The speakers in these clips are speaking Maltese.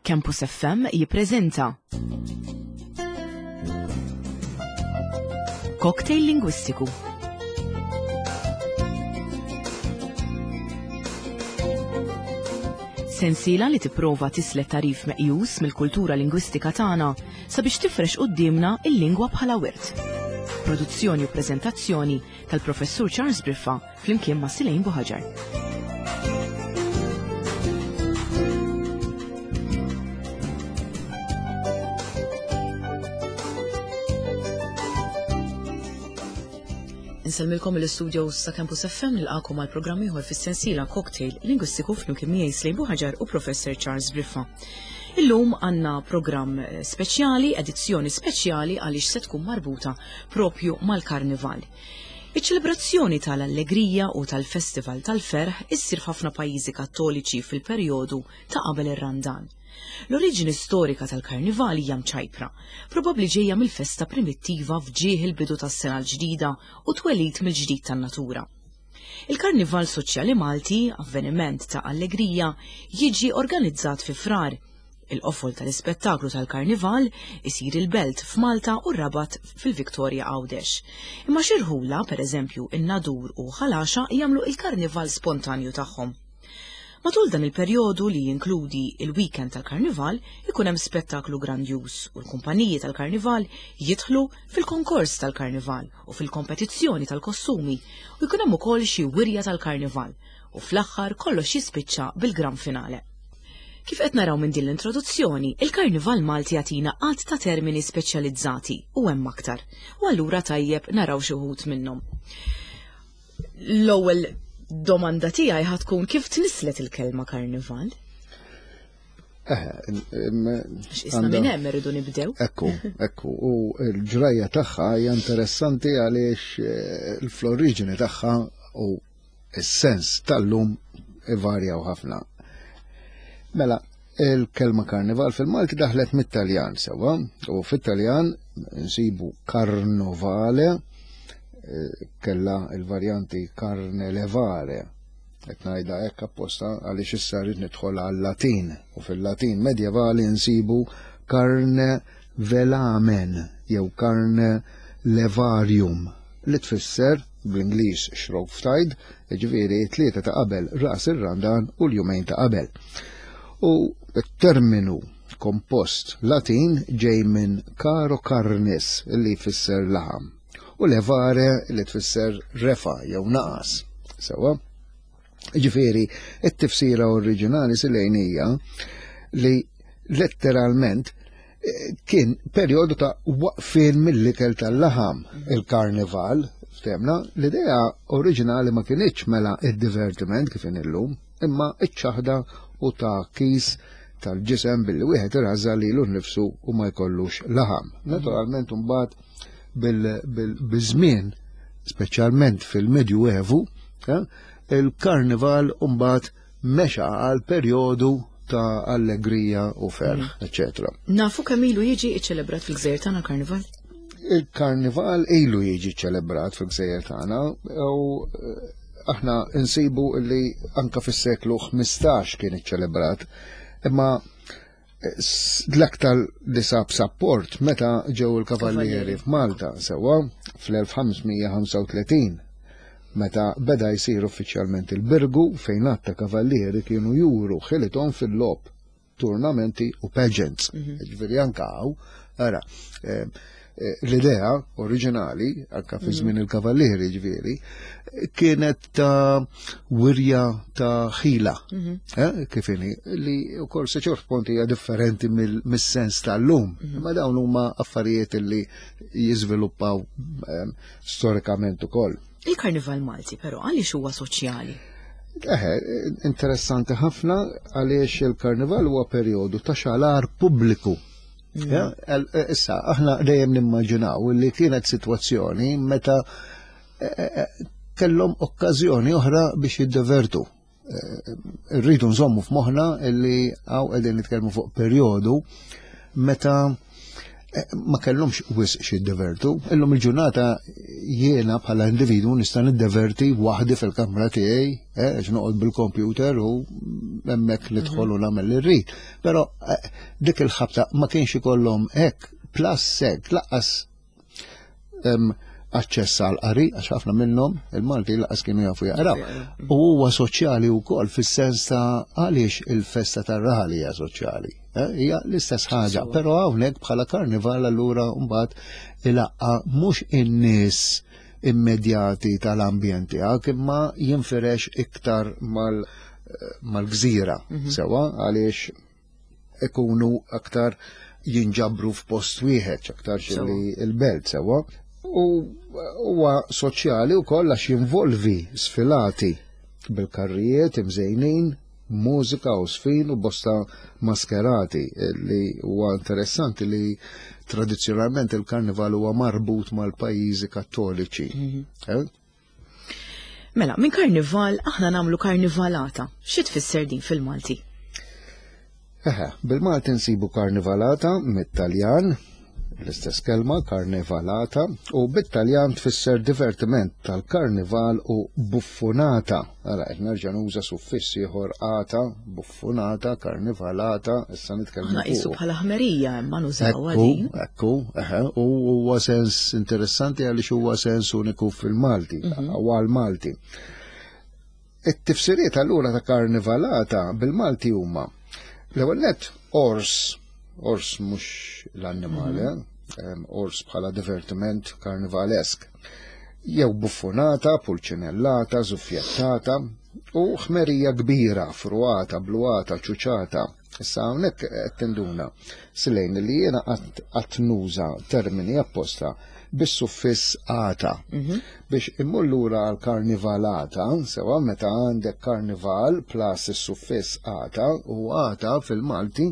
Campus FM jippreżenta Cocktail Lingwistiku. Sensiela li tipprova tislet tarif meqjus mill-kultura lingwistika tagħna sabiex tifrex quddiemna il-lingwa bħala wirt. Produzzjoni u preżentazzjoni tal-Professur Charles Briffa flimkien ma' Silejn Buħaġar. Insellmilkom l-istudios ta' Campus FM nilqakom għal programm ieħor fis-sensiela Cocktail Lingwistiku flimkien miegħi Slejn Buħaġar u Professor Charles Briffa. Illum għandna programm speċjali, edizzjoni speċjali għaliex se tkun marbuta propju mal-Karnival. Iċ-ċelebrazzjoni tal-allegrija u tal-festival tal-ferħ issir f'ħafna pajjiżi Kattoliċi fil-perjodu ta' qabel ir-Randan. L-oriġini storika tal-Karnival hija mċajpra, probabbli ġejja mill-festa primittiva f'ġieħ il-bidu tas-sena l-ġdida u t-twelid mill-ġdid tan-natura. Il-Karnival Soċjali Malti, avveniment ta' allegrija, jiġi organizzat fi Frar. Il-qofol tal-ispettaklu tal-Karnival isir il-Belt f'Malta u r-Rabat fil-Victoria Għawdex. Imma xi rħula, pereżempju in-Nadur u Ħal Għaxaq jagħmlu il-Karnival spontanju tagħhom. Matul dan il-perjodu li jinkludi il-weekend tal-Karnival ikun hemm spettaklu grandjuż u l-kumpaniji tal-Karnival jidħlu fil-konkors tal-Karnival u fil-kompetizzjoni tal-kostumi u jkun hemm ukoll xi wirja tal-Karnival u fl-aħħar kollox jispiċċa bil-gran finale. Kif qed naraw minn din l-introduzzjoni, il-Karnival Malti jagħtina għadd ta' termini speċjalizzati u hemm aktar. U allura tajjeb naraw xi wħud minnhom. L-ewwel domanda tiegħi ħa tkun kif tnisslet il-kelma karnival? X'isna minn hemm irridu nibdew. Ekku, ekku, u l-ġrajja tagħha hija interessanti għaliex eh, l-oriġini tagħha u s-sens tal-lum ivarjaw ħafna. Mela, il-kelma karnival fil-Malti daħlet mit-Taljan sewa, u fit-Taljan nsibu karnovale, eh, kella il-varjanti karnelevare, qed ngħidha hekk apposta għaliex issa rrid nidħol għal-Latin u fil-Latin medjevali nsibu carne velamen jew carne levarium li tfisser bl-Ingliż Shrovetide, jiġifieri t-tlieta ta' qabel ras ir-Randan u l-jumejn ta' qabel. U t-terminu kompost Latin ġej minn caro carnis li jfisser laħam u levare li tfisser refa jew naqas. Sewa? Ġifieri, it-tifsira oriġinali silejn hija li letteralment eh, kien perjodu ta' waqfien mill-ikel tal-laħam il-karnival, ftemna, l-idea oriġinali ma kienx mela id-divertiment kif illum, imma iċ-ċaħda u ta' kis tal-ġisem billi wieħed iraża lilu nnifsu u ma jkollux laħam. Naturalment imbagħad bil-żmien, speċjalment fil-Medju Evu, eh, il-karnival mbagħad mexa għal perjodu ta' allegrija u ferħ, mm. eccetera. Nafu kemm ilu jiġi ċċelebrat fil-gżejjer tagħna karnival? Il-karnival ilu jiġi ċelebrat fil-gżejjer tagħna u eh, aħna nsibu li anka fis-seklu 15 kien iċċelebrat, imma eh, l-aktar li sab sapport meta ġew il-kavallieri f'Malta sewwa fl-1535 meta beda jsir uffiċjalment il-Birgu fejn għadd ta' kavallieri kienu juru ħilithom fil-logħob turnamenti u pageants. Mhm. Ġifieri anka hawn, ara, eh, eh, l-idea oriġinali, anka fi mhm. żmien il-kavallieri ġifieri, kienet ta' wirja ta' ħila, mhm. eh, kif inhi, li wkoll se ċert punt hija differenti mis-sens tal-lum. Ma dawn huma affarijiet li jiżviluppaw storikament ukoll. Il-Karnival Malti però għaliex huwa soċjali? Eħe, interessanti ħafna għaliex il-karnival huwa perjodu ta' xalar pubbliku. Mm. E, issa, aħna dejjem nimmaġinaw li kienet sitwazzjoni meta e, e, kellhom okkażjoni oħra biex jiddevertu. Rridu nżommu f'moħħna li għaw qegħdin nitkellmu fuq perjodu meta. Ma kellhomx wisq xi jiddevertu. Illum il-ġurnata jiena bħala individwu nista' niddeverti waħdi fil-kamra tiegħi, għax noqgħod bil-computer u hemmhekk nidħol u nagħmel li rrid. Però dik il-ħabta ma kienx ikollhom hekk, plus hekk lanqas aċċess għal qari, għax ħafna minnhom il-Malti laqas kienu jafu jaqraw. U huwa soċjali wkoll fis-sens ta' għaliex il-festa tar-raħal hija soċjali. Hija l-istess ħaġa, però hawnhekk bħala karnival allura mbagħad ilaqqa mhux in-nies immedjati tal-ambjent tiegħek imma jinfirex iktar mal-gżira, sewa għaliex ikunu aktar jinġabru f'post wieħed, aktar li l-belt sewa. U huwa soċjali wkoll għax jinvolvi sfilati bil-karrijiet imżejnin, mużika u sfin u bosta maskerati li huwa interessanti li tradizzjonalment il-karnival huwa marbut mal-pajjiżi kattoliċi. Mela, minn karnival aħna nagħmlu karnivalata. Xi tfisser din fil-Malti? Eħe, bil-Malti nsibu karnivalata mit-Taljan, l-istess kelma karnivalata, u bit-Taljan tfisser divertiment tal-karnival u buffunata. Ara, qed nerġa' nuża suffiss ieħor ata, buffunata, karnivalata, issa nitkellmu Aħna qisu bħala ħmerija imma nużawha din. Ekku, eħe, u huwa sens interessanti għaliex huwa sens uniku fil-Malti, u għal-Malti. It-tifsiriet allura ta' karnivalata bil-Malti huma l-ewwel nett ors, ors mhux l-annimali, ors bħala divertiment karnivalesk, jew buffonata, pulċinellata, żuffjettata, u ħmerija kbira, fruata, bluata, ċuċata. Issa hawnhekk qed tinduna silejn li jiena qatt nuża termini apposta bis-suffiss ata. Biex immur lura għal karnivalata, sewa meta għandek karnival plus is-suffiss ata, u ata fil-Malti,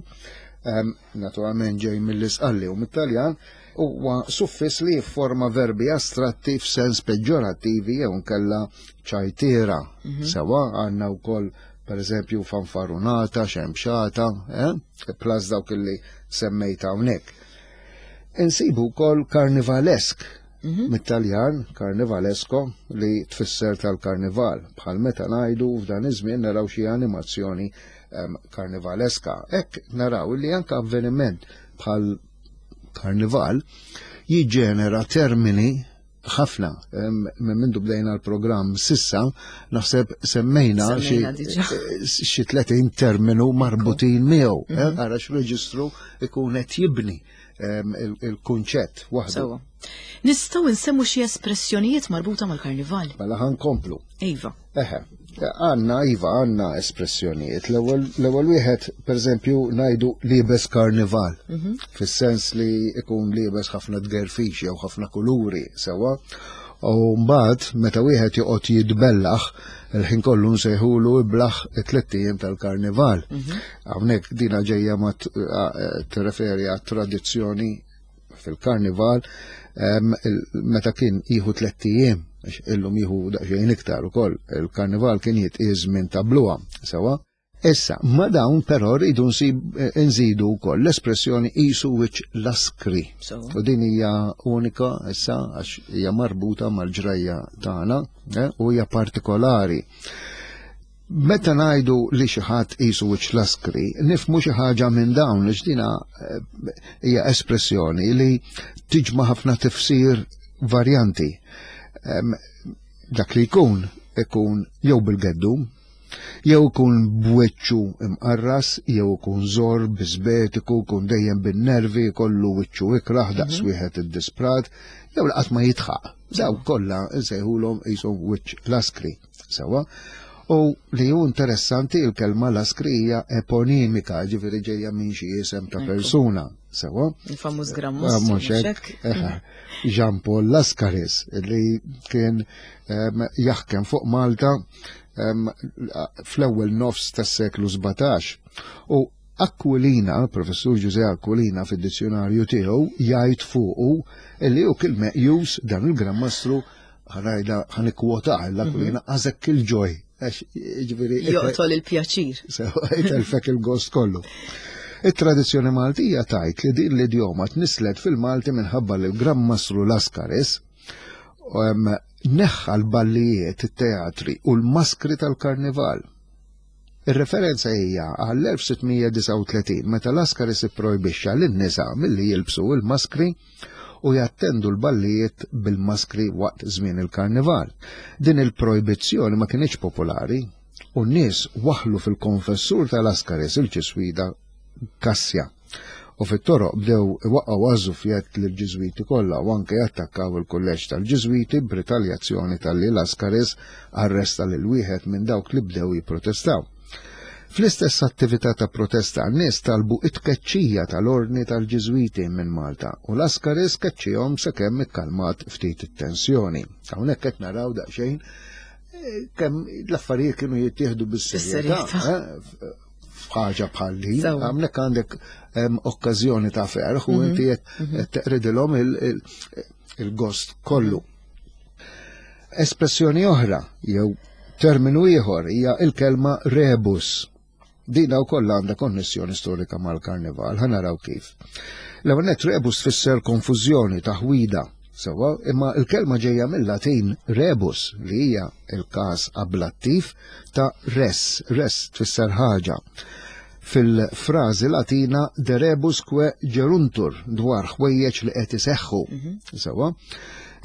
naturalment ġej mill-Isqalli u mit-Taljan, huwa suffiss li jifforma verbi astratti f'sens peġġorattivi jew nkella ċajtiera. Sewa għandna wkoll per eżempju fanfarunata, xemxata, plus dawk li semmejt hawnhekk. Insibu wkoll karnivalesk, mit-Taljan karnivalesco li tfisser tal-karnival, bħal meta ngħidu f'dan iż-żmien naraw xi animazzjoni karnivaleska. Hekk naraw li anke avveniment bħal karnival jiġġenera termini ħafna. Minn mindu bdejna l-programm sissa, naħseb semmejna Semmejna diġà. xi 30 terminu marbutin miegħu. Ara x'reġistru ikun qed jibni il-kunċett waħdu. Sewwa. Nistgħu nsemmu xi espressjonijiet marbuta mal-karnival? Mela ħa nkomplu. Iva. Eħe, għandna, iva, għandna espressjonijiet. L-ewwel wieħed, per eżempju, ngħidu liebes karnival, fis-sens li ikun liebes ħafna tgerfix jew ħafna kuluri, sewa. U mbagħad meta wieħed joqgħod jitbellaħ, il-ħin kollu nsejħulu iblaħ it-tliet ijiem tal-karnival. Hawnhekk dina ġejja ma tirreferi għat-tradizzjoni fil-karnival, meta kien jieħu 3 ijiem, għax illum jieħu daqsxejn iktar ukoll, il-karnival kien jitqies minn ta' bluha, sewa. Issa, ma dawn però rridu nżidu wkoll l-espressjoni qisu wiċċ laskri. U din hija unika issa għax hija marbuta mal-ġrajja tagħna u hija partikolari. Meta ngħidu li xi ħadd qisu wiċċ laskri, nifhmu xi ħaġa minn dawn għax dina hija espressjoni li tiġma' ħafna tifsir varjanti. Dak li jkun ikun jew bil-geddum, jew ikun b'wiċċu imqarras, jew ikun żor, biżbetiku, ikun dejjem bin-nervi, kollu wiċċu ikrah daqs wieħed iddisprat, jew laqat ma jitħaq. Daw kollha nsejħulhom qishom wiċċ laskri. Sewa. U li hu interessanti il-kelma laskri hija eponimika, ġifieri ġejja minn xi isem ta' persuna. Sewa. Il-famuż Gran Mostru, Mhux mhux hekk. hekk? Eħe. Jean Paul Lascaris li kien jaħkem fuq Malta fl-ewwel nofs tas-seklu 17. U Aquilina, professur Ġużè Aquilina fid-dizzjonarju tiegħu jgħid fuqu li hu kien meqjus dan il-Gran Mastru, ħanajda ħanikkwotah l-Aquilina, għażek il-ġoj. Għax, jiġifieri, Joqtol il-pjaċir. Sewa, jtelfek il-gost kollu. It-tradizzjoni Maltija tgħid li din l-idjoma tnisslet fil-Malti minħabba li l-Gran Mastru Lascaris neħħa l-ballijiet, it-teatri u l-maskri tal-karnival. Ir-referenza hija għall-1639 meta Lascaris ipprojbixxa lin-nisa milli jilbsu l-maskri u jattendu l-ballijiet bil-maskri waqt żmien il-karnival. Din il-projbizzjoni ma kinitx popolari u n-nies waħħlu fil-konfessur ta' Lascaris il-ġiswida Kassja u fit-toroq bdew iwaqqgħu għaż-żufjett lill-Ġiżwiti kollha u anke jattakkaw il-kulleġġ tal-Ġiżwiti b'ritaljazzjoni talli Lascaris arresta lil wieħed minn dawk li bdew jipprotestaw. Fl-istess attività ta' protesta n-nies talbu t-tkeċċija tal-Ordni tal-Ġiżwiti minn Malta u Lascaris keċċihom sakemm ikkalmat ftit it-tensjoni. Hawnhekk qed naraw daqsxejn kemm l-affarijiet kienu jittieħdu bis-serjetà. Eh, f'ħaġa bħal din, hawnhekk għandek okkażjoni ta' ferħ u mhm. inti qed mhm. teqridilhom il-gost kollu. Espressjoni oħra jew terminu ieħor hija il-kelma rebus. Dina wkoll għandha konnessjoni storika mal-karnival, ħa naraw kif. L-ewwel nett rebus tfisser konfużjoni, taħwida, sewwa, imma l-kelma ġejja mill-Latin rebus li hija l-każ ablattiv ta' res, res tfisser ħaġa. Fil-frażi Latina de rebus que geruntur dwar ħwejjeġ li qed iseħħu. Mhm. Sewwa,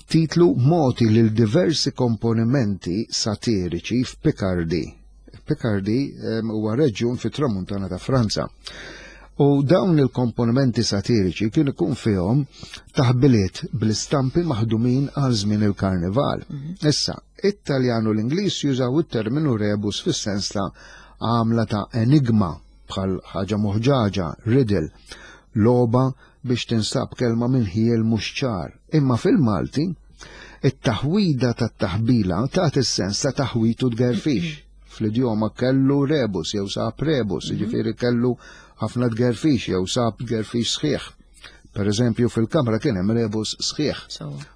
titlu mogħti lil diversi komponimenti satiriċi f'Picardy Picardy huwa reġjun fit-tramuntana ta' Franza. U dawn il-komponimenti satiriċi kien ikun fihom taħbiliet bl-istampi maħdumin għal żmien il-karnival. Mhm. Issa, it-Taljan u l-Ingliż jużaw it-terminu rebus fis-sens ta' għamla ta' enigma bħal ħaġa moħġaġa, riddle, logħba biex tinstab kelma minn ħiel mhux ċar. Imma fil-Malti, it-taħwida tat-taħbila tagħti s-sens ta' taħwit u tgerfix. Fl-idjoma kellu rebus jew sab rebus, mhm. jiġifieri kellu ħafna tgerfix jew sab tgerfix sħiħ. Per eżempju, fil-kamra kien hemm rebus sħiħ.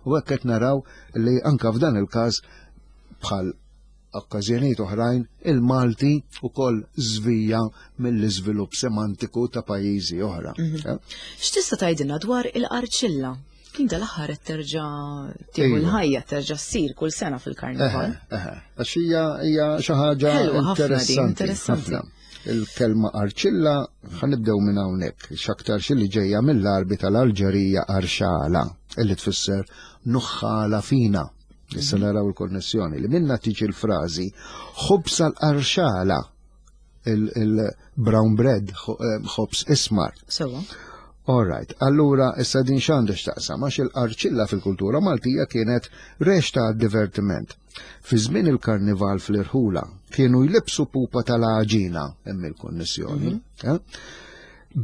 U hekk qed naraw li anka f'dan il-każ bħal okkażjonijiet oħrajn, il-Malti wkoll żvija mill-iżvilupp semantiku ta' pajjiżi oħra. Mhm. Eh? X'tista' tgħidilna dwar il-qarċilla? Din dal-aħħar qed terġa' tieħu l-ħajja, terġa' ssir kull sena fil-karnival. Għax hija hija xi ħaġa interessanti. Il-kelma arċilla ħanibdew minn hawnhekk, x'aktar xi li ġejja mill-Arbi tal-Alġerija arxala, illi tfisser nuħħala fina. Issa mhm. naraw il-konnessjoni li minna tiġi l-frażi ħobs għal-arxala il-brown bread, eh, ħobs ismar. Sewa. All right, allura issa din x'għandha x'taqsam għax il-qarċilla fil-kultura Maltija kienet rex ta' divertiment. Fi żmien il-karnival fl-irħula kienu jlibsu pupa tal-għaġina hemm il-konnessjoni. Mm -hmm. eh?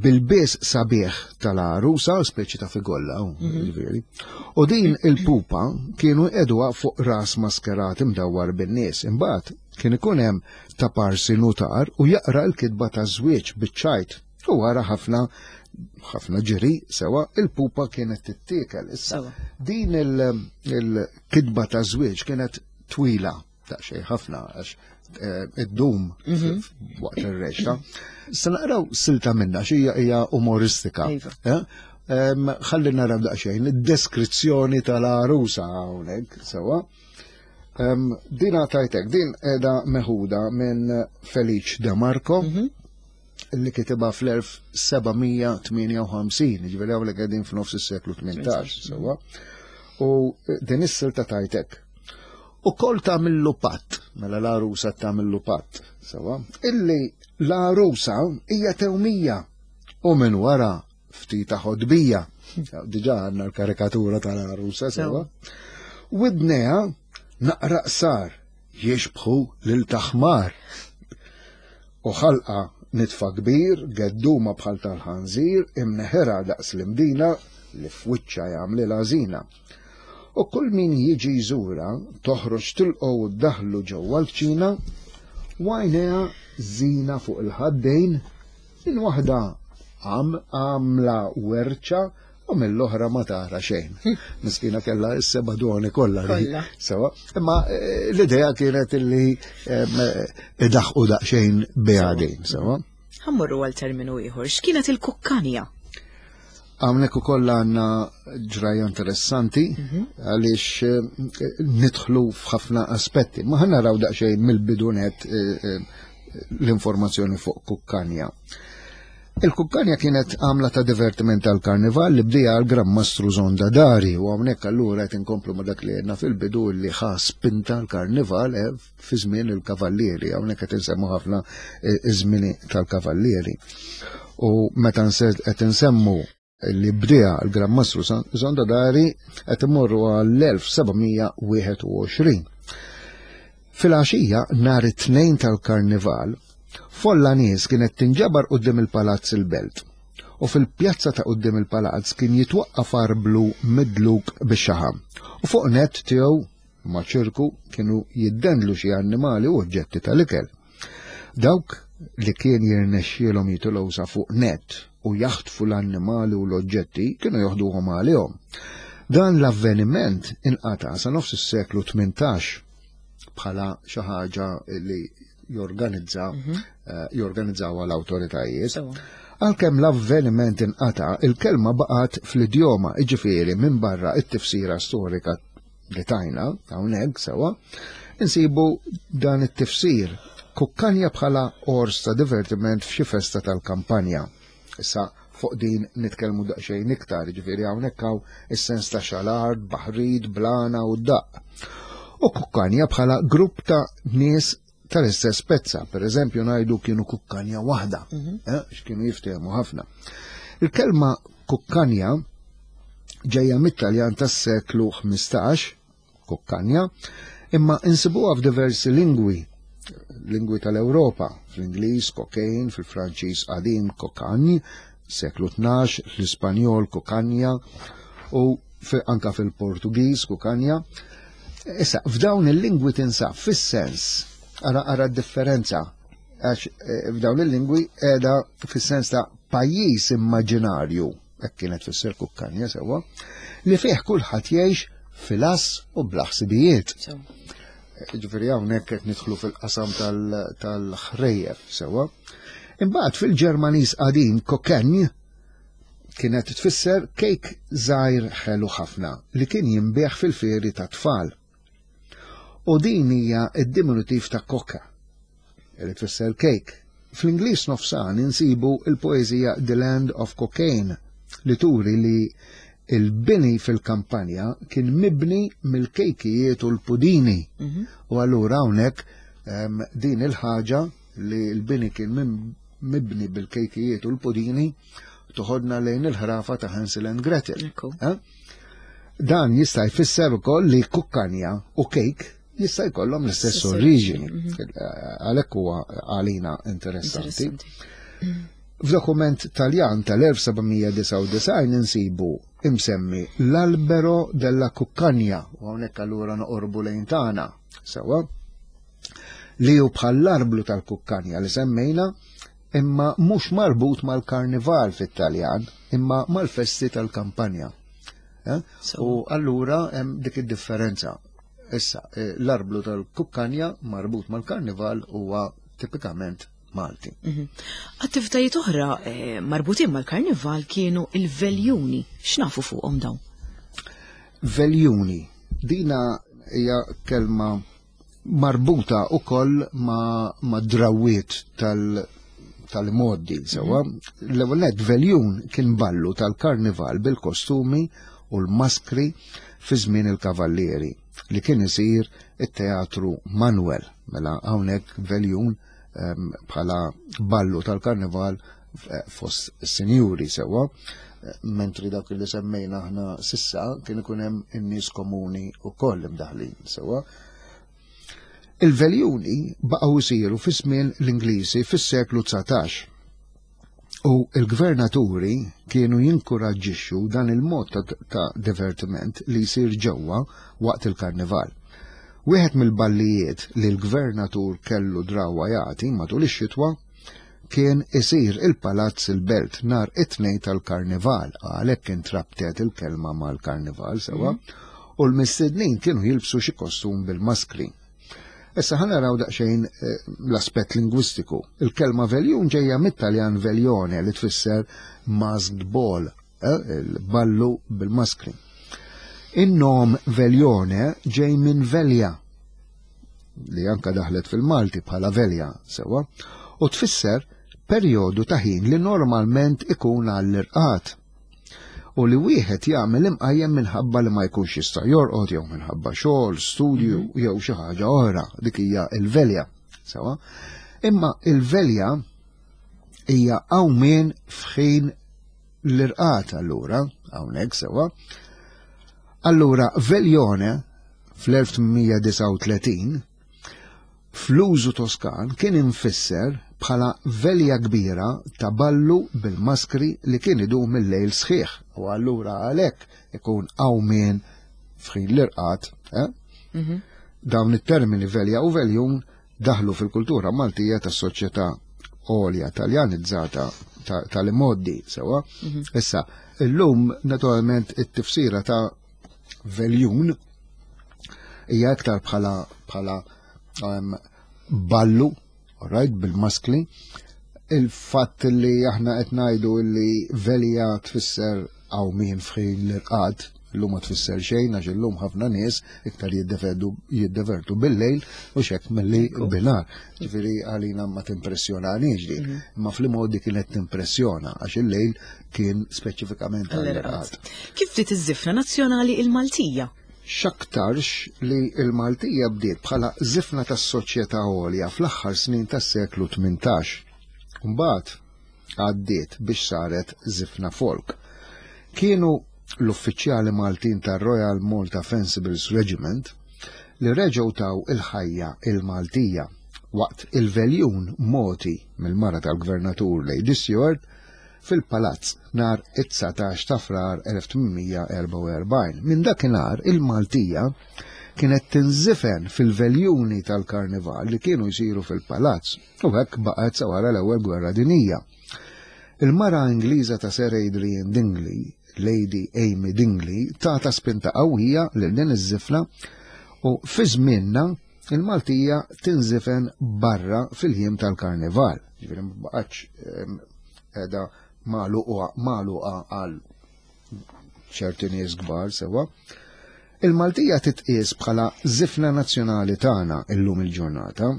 bil-bies sabiħ tal-għarusa, speċi ta' figolla, mhm. ġifieri. U din il-pupa kienu jqegħduha fuq ras maskerat imdawwar bin-nies. Imbagħad kien ikun hemm ta' parsi nutar u jaqra l-kitba ta' żwieġ biċ-ċajt. U wara ħafna ħafna ġiri sewa il-pupa kienet tittiekel. Issa din il-kitba ta' żwieġ kienet twila daqsxejn ħafna għax eh, id-dum mhm. waqt ir-reċta. Se naqraw silta minna xi hija umoristika. Iva. Eh? Ħalli naraw daqsxejn id-deskrizzjoni tal-għarusa hawnhekk sewwa. Din tajtek, din qiegħda meħuda minn Felice De Marco. Mhm. li kitibha fl-1758, ġifieri hawnhekk qegħdin f'nofs is-seklu 18, sewwa. U din is-silta tajtek. U kol tagħmillu patt, mela l-għarusa tagħmillu patt, sewwa, illi l-għarusa hija tewmija u minn wara ftita ħodbija. Diġà għandna l-karikatura tal-għarusa sewwa. Widnejha naqra qsar jixbħu lil taħmar. U ħalqa nitfa kbir, gedduma bħal tal-ħanżir, imneħirha daqs l-imdina li f'wiċċha jagħmlilha żina. U kull min jiġi jżurha toħroġ tilqgħu u ddaħħlu ġewwa l-kċina, u għajnejha żina fuq il-ħaddejn, minn waħda għamla werċa u mill-oħra ma tara xejn. Miskina kellha s-seba' doni kollha. Sewa, imma eh, l-idea kienet illi eh, idaħqu daqsxejn biha din, sewa. Ħa mmorru għal terminu ieħor. X'kienet il-kukkanja? Hawnhekk ukoll għandna ġrajja interessanti għaliex nidħlu f'ħafna aspetti. Ma ħa naraw daqsxejn mill-bidunet l-informazzjoni fuq kukkanja. Il-kukkanja kienet għamla ta' divertiment tal-karnival li bdija għal Gran Mastru Zonda Dari u hawnhekk allura qed inkomplu ma' dak li għedna fil-bidu li ħa spinta l-karnival fi żmien il-kavallieri, hawnhekk qed insemmu ħafna iż-żmieni tal-kavallieri. U meta qed insemmu li bdija l-Gran Mastru Zonda Dari qed immorru għall-1721. Fil-għaxija nhar it-Tnejn tal-Karnival, folla nies kienet tinġabar quddiem il-Palazz il-Belt u fil-pjazza ta' quddiem il-palazz kien jitwaqqaf arblu midluk bix-xaħam u fuq nett tiegħu ma' ċirku kienu jiddendlu xi annimali u oġġetti tal-ikel. Dawk li kien jirnexxielhom jitilgħu sa fuq nett u jaħtfu l-annimali u l-oġġetti kienu joħduhom għalihom. Dan l-avveniment inqata' sa nofs is-seklu 18 bħala xi ħaġa li jorganizza jorganizzawha l-awtoritajiet. Għalkemm l-avveniment inqata', il-kelma baqgħet fl-idjoma, jiġifieri minn barra it-tifsira storika li tajna hawnhekk sewwa, insibu dan it-tifsir kukkanja bħala ors ta' divertiment f'xi festa tal-kampanja. Issa fuq din nitkellmu daqsxejn iktar, jiġifieri hawnhekk hawn is-sens ta' xalar, baħrid, blana u daqq. U kukkanja bħala grupp ta' nies tal-istess pezza, per eżempju ngħidu kienu kukkanja waħda, x'kienu jiftehmu ħafna. Il-kelma kukkanja ġejja mit-Taljan tas-seklu 15, kukkanja, imma insibuha f'diversi lingwi, lingwi tal-Ewropa, fl-Ingliż cocaine, fil-Franċiż qadim cocagne, seklu 12, l-Ispanjol kukanja u anka fil-Portugiż kukanja. Issa, f'dawn il-lingwi tinsab fis-sens, ara ara d-differenza, għax f'dawn il-lingwi qiegħda fis-sens ta' pajjiż immaġinarju, hekk kienet tfisser kukkanja sewwa, li fih kulħadd jgħix fil-ass u bla ħsibijiet. Ġifieri hawnhekk qed nidħlu fil-qasam tal-ħrejjef sewwa. Imbagħad fil-Ġermaniż qadim kokenj kienet tfisser kejk żgħir ħelu ħafna li kien jinbiegħ fil-fieri tat-tfal. U din hija d-diminutiv ta' koka, li tfisser kejk. Fl-Ingliż nofsani insibu l-poeżija The Land of Cocaine li turi li il-bini fil-kampanja kien mibni mill-kejkijiet u l-pudini. U allura hawnhekk din il-ħaġa li l-bini kien mibni bil-kejkijiet u l-pudini toħodna lejn il-ħrafa ta' Hansel and Gretel. Dan jista' jfisser ukoll li kukkanja u kejk jista' jkollhom l-istess oriġini. Għalhekk huwa għalina interessanti. F'dokument Taljan tal-1799 insibu imsemmi l-albero della kukkanja, u hawnhekk allura noqorbu lejn tagħna, sewwa, li hu bħall-arblu tal-kukkanja li semmejna, imma mhux marbut mal-karnival fit-Taljan, imma mal-festi tal-kampanja. U allura hemm dik id-differenza. Issa, l-arblu tal-kukkanja marbut mal-karnival huwa tipikament Malti. Attivitajiet oħra marbutin mal-karnival kienu il-veljuni. X'nafu fuqhom dawn? Veljuni. Dina hija kelma marbuta ukoll ma' drawiet tal-modi, sewwa. L-ewwel nett veljun kien ballu tal-karnival bil-kostumi u l-maskri fi żmien il-kavallieri li kien isir it-teatru Manuel. Mela hawnhekk veljun bħala ballu tal-karnival fost sinjuri sewwa, mentri dak li semmejna aħna sissa kien ikun hemm in-nies komuni wkoll imdaħlin sewwa. Il-veljuni baqgħu jsiru fi żmien l-Ingliżi fis-seklu 19. U l-gvernaturi kienu jinkuraġġixxu dan il-mod ta' divertiment li jsir ġewwa waqt il-karnival. Wieħed mill-ballijiet li l-gvernatur kellu drawwa jagħti matul ix-xitwa kien isir il-Palazz il-Belt nhar it-Tnejn tal-Karnival, għalhekk intrabtet il-kelma mal-karnival sewwa, u l-mistednin kienu jilbsu xi kostum bil-maskri. Issa ħa naraw daqsxejn eh, l-aspett lingwistiku. Il-kelma veljun ġejja mit-Taljan veljone li tfisser masked ball, eh, il-ballu bil-maskri. In-nom veljone ġej minn velja, li anka daħlet fil-Malti bħala velja sewa, u tfisser perjodu ta' ħin li normalment ikun għall-irqad u li wieħed jagħmel imqajjem minħabba li ma jkunx jista' jorqod jew minħabba xogħol, studju mhm. jew xi ħaġa oħra, dik hija l-velja. Sewa. Imma il-velja hija qawmien f'ħin l-irqad allura, hawnhekk sewa. Allura veljone fl-1839 fl-użu Toskan kien imfisser bħala velja kbira ta' ballu bil-maskri li kien idum il-lejl sħiħ u allura għalhekk ikun qawmien f'ħin l-irqad. Eh? Mhm. Dawn it-termini velja u veljun daħlu fil-kultura Maltija tas-soċjetà għolja taljanizzata tal-imoddi sewa. Mhm. Issa, illum naturalment it-tifsira ta' veljun hija iktar bħala bħala um, ballu, right, bil-maskli. Il-fatt li aħna qed ngħidu li velja tfisser għaw min fħin l-irqad, illum ma tfisser xejn għax illum ħafna nies iktar jiddevertu bil-lejl u xek milli binar. Ġifieri għalina ma timpressjonaniex dik, mhm. imma fl-modi kienet timpressjona għax il-lejl kien speċifikament għall-irqad. Kif bdiet iż-żifna nazzjonali il-Maltija? X'aktarx li l-Maltija bdiet bħala żifna tas-soċjetà għolja fl-aħħar snin tas-seklu 18. Mbagħad għaddiet biex saret żifna folk. Kienu l-uffiċjali Maltin tar-Royal Malta Fencibles Regiment li reġgħu taw il-ħajja il-Maltija waqt il-veljun mogħti mill-mara tal-Gvernatur Lady Stewart fil-Palazz nhar it-19 ta' Frar 1844. Minn dakinhar il-Maltija kienet tinżifen fil-veljuni tal-Karnival li kienu jsiru fil-Palazz u hekk baqgħet sa wara l-Ewwel Gwerra Dinjija. Il-mara Ingliża ta' Sir Adrian Dingley, Lady Amy Dingley, tata spinta qawwija lil din iż-żifna u fi żmienna il-Maltija tinżifen barra fil-jiem tal-Karnival. Ġifieri ma baqgħetx ehm, qiegħda magħluqa għal ċerti nies kbar sewa. Il-Maltija titqies bħala żifna nazzjonali tagħna illum il-ġurnata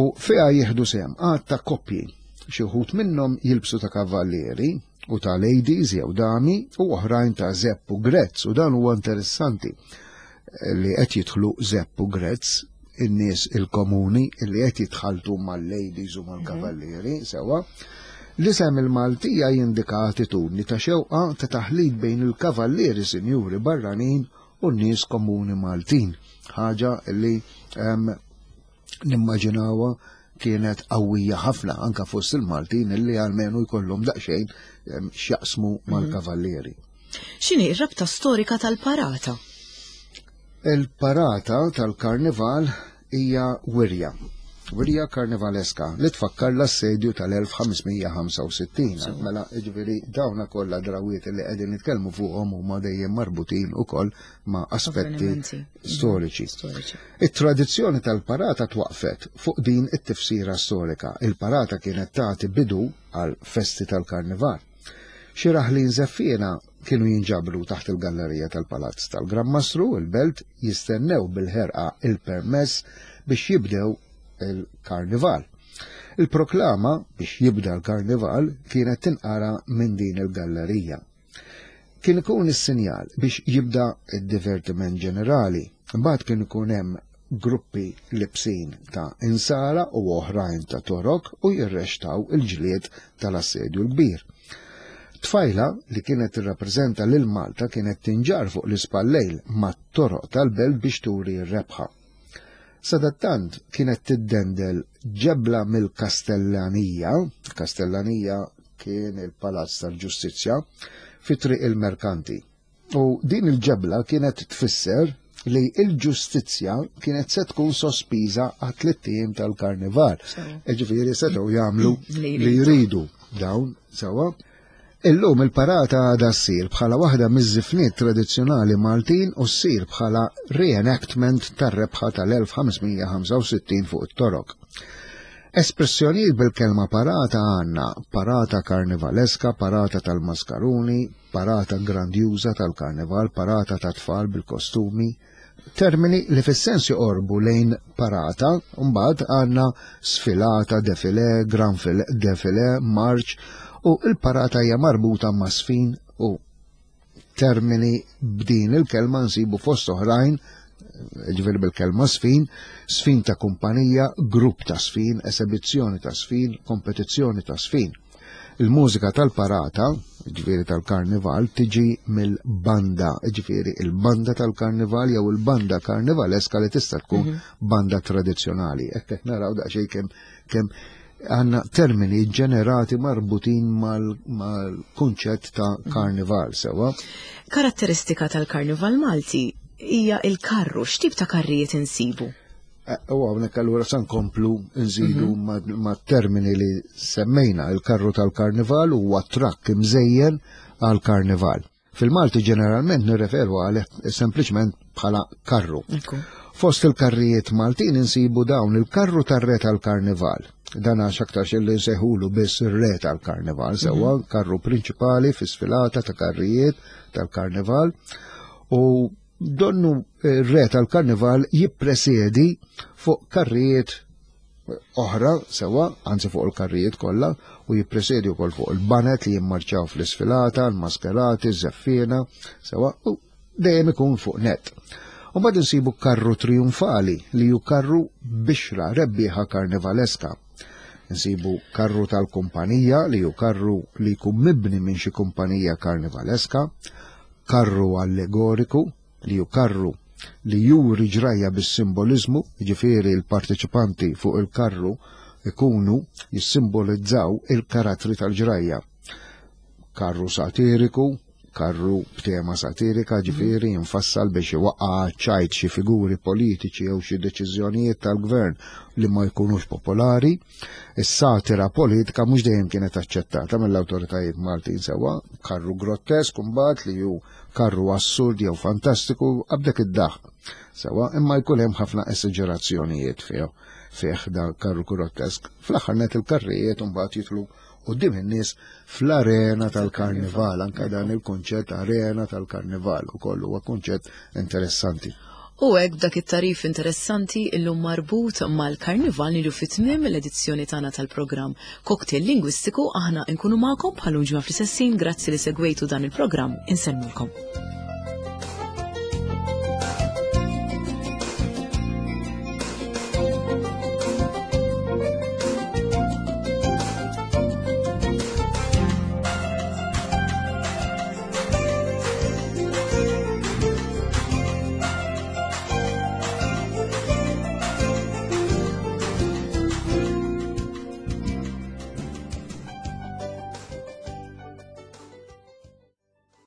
u fiha jieħdu sehem għad ta' koppji. Xi wħud minnhom jilbsu ta' kavallieri u ta' ladies jew dami u oħrajn ta' zepp u grezz u dan huwa interessanti li qed jidħlu zepp u grezz in-nies il-komuni li qed jitħaltu mal-ladies u mal-kavallieri, mhm. sewa. L-isem il-Maltija jindika attitudni ta' xewqa ta' taħlit bejn il-kavallieri sinjuri barranin u n-nies komuni Maltin. Ħaġa li nimmaġinawha kienet qawwija ħafna anka fost il-Maltin illi għalmenu jkollhom daqsxejn x'jaqsmu mhm. mal-kavallieri. X'inhi r-rabta storika tal-parata? Il-parata tal-karnival hija wirja. Wirja karnivaleska li tfakkar l-assedju tal-1565. Mela, ġifieri dawna kollha drawiet li qegħdin nitkellmu fuqhom huma dejjem marbutin ukoll ma' aspetti storiċi. It-tradizzjoni tal-parata twaqfet fuq din it-tifsira storika. Il-parata kienet tagħti bidu għal festi tal-karnival. Xi raħlin żeffiena kienu jinġabru taħt il-gallerija tal-Palazz tal-Gran Mastru, il-Belt, jistennew bil-ħerqa il-permess biex jibdew il-karnival. Il-proklama biex jibda l-karnival kienet tinqara minn din il-gallerija. Kien ikun is-sinjal biex jibda d-divertiment ġenerali. Imbagħad kien ikun hemm gruppi libsin ta' insara u oħrajn ta' torok u jirrextaw il-ġlied tal-Assedju l-Kbir. Tfajla li kienet tirrappreżenta lil Malta kienet tinġarr fuq l-ispallejl mat-toroq tal-belt biex turi r-rebħa. Sadattant kienet tiddendel ġebla mill-Kastellanija, Kastellanija kien il-Palazz tal-Ġustizzja, fi Triq il-Merkanti. U din il-ġebla kienet tfisser li il-ġustizzja kienet se tkun sospiża għat ijiem tal-karnival. Ġifieri setgħu jagħmlu li jridu dawn sewa. Illum il-parata għadha ssir bħala waħda miż-żifniet tradizzjonali Maltin u ssir bħala reenactment tar-rebħa tal-1565 fuq it-Torok. Espressjonijiet bil-kelma parata għandna parata karnivaleska, parata tal-maskaruni, parata grandjuża tal-karnival, parata ta' tfal bil-kostumi, Termini li fis-sens joqorbu lejn parata, mbagħad għandna sfilata, defilé, gran defilé, marċ, u l-parata hija marbuta ma' sfin u termini b'din il-kelma nsibu fost oħrajn, ġifieri bil-kelma sfin, sfin ta' kumpanija, grupp ta' sfin, esebizzjoni ta' sfin, kompetizzjoni ta' sfin. Il-mużika tal-parata, ġifieri tal-karnival, tiġi mill-banda, ġifieri il-banda tal-karnival jew il-banda karnivaleska li tista' tkun mhm. banda tradizzjonali. Hekk qed naraw daqsxejn kemm kemm għandna termini ġenerati marbutin mal-kunċett ta' mhm. karnival sewa. Karatteristika tal-karnival Malti hija il-karru, x'tip ta' karrijiet insibu? Eh, u hawnhekk allura sa nkomplu nżidu mhm. ma' termini li semmejna il-karru tal-karnival huwa trakk imżejjen għal karnival. Fil-Malti ġeneralment nirreferu għal sempliċement bħala karru. Fost il-karrijiet Maltin insibu dawn il-karru tar-re tal-karnival. Dan għax aktar xilli nsejħulu biss ir-re tal-karnival, mhm. sewwa karru prinċipali fi sfilata ta' karrijiet tal-karnival. U Donnu r-re tal-karnival jippresedi fuq karrijiet oħra sewa, anzi fuq il-karrijiet kollha, u jippresedi wkoll fuq il-banet li jimmarċaw fl-isfilata, l-maskerati, ż-żeffiena, sewa, u dejjem ikun fuq net. U mbagħad insibu karru triumfali li hu karru bixra rebbieħa karnivaleska. Nsibu karru tal-kumpanija li hu karru li jkun mibni minn xi kumpanija karnivaleska, karru allegoriku, li hu karru li juri ġrajja bis-simboliżmu, jiġifieri l-parteċipanti fuq il-karru ikunu jissimbolizzaw il-karattri tal-ġrajja. Karru satiriku, karru b'tema satirika, ġifieri jinfassal biex iwaqqa' ċajt xi figuri politiċi jew xi deċiżjonijiet tal-gvern li ma jkunux popolari. Is-satira politika mhux dejjem kienet aċċettata mill-awtoritajiet Maltin sewwa, karru grottesk imbagħad li hu karru assurd jew fantastiku qabdek id-daħq. Sewwa, imma jkun hemm ħafna esaġerazzjonijiet fih fih da karru grottesk. Fl-aħħar net il-karrijiet imbagħad jitlu quddiem in-nies fl-arena tal-karnival, anka dan il-kunċett arena tal-karnival ukoll huwa kunċett interessanti. U hekk b'dak it-tagħrif interessanti illum marbut mal-Karnival niġu fi tmiem l-edizzjoni tagħna tal-programm Cocktail Lingwistiku aħna nkunu magħkom bħal ġimgħa fl-istess ħin grazzi li segwejtu dan il-programm insellmulkom.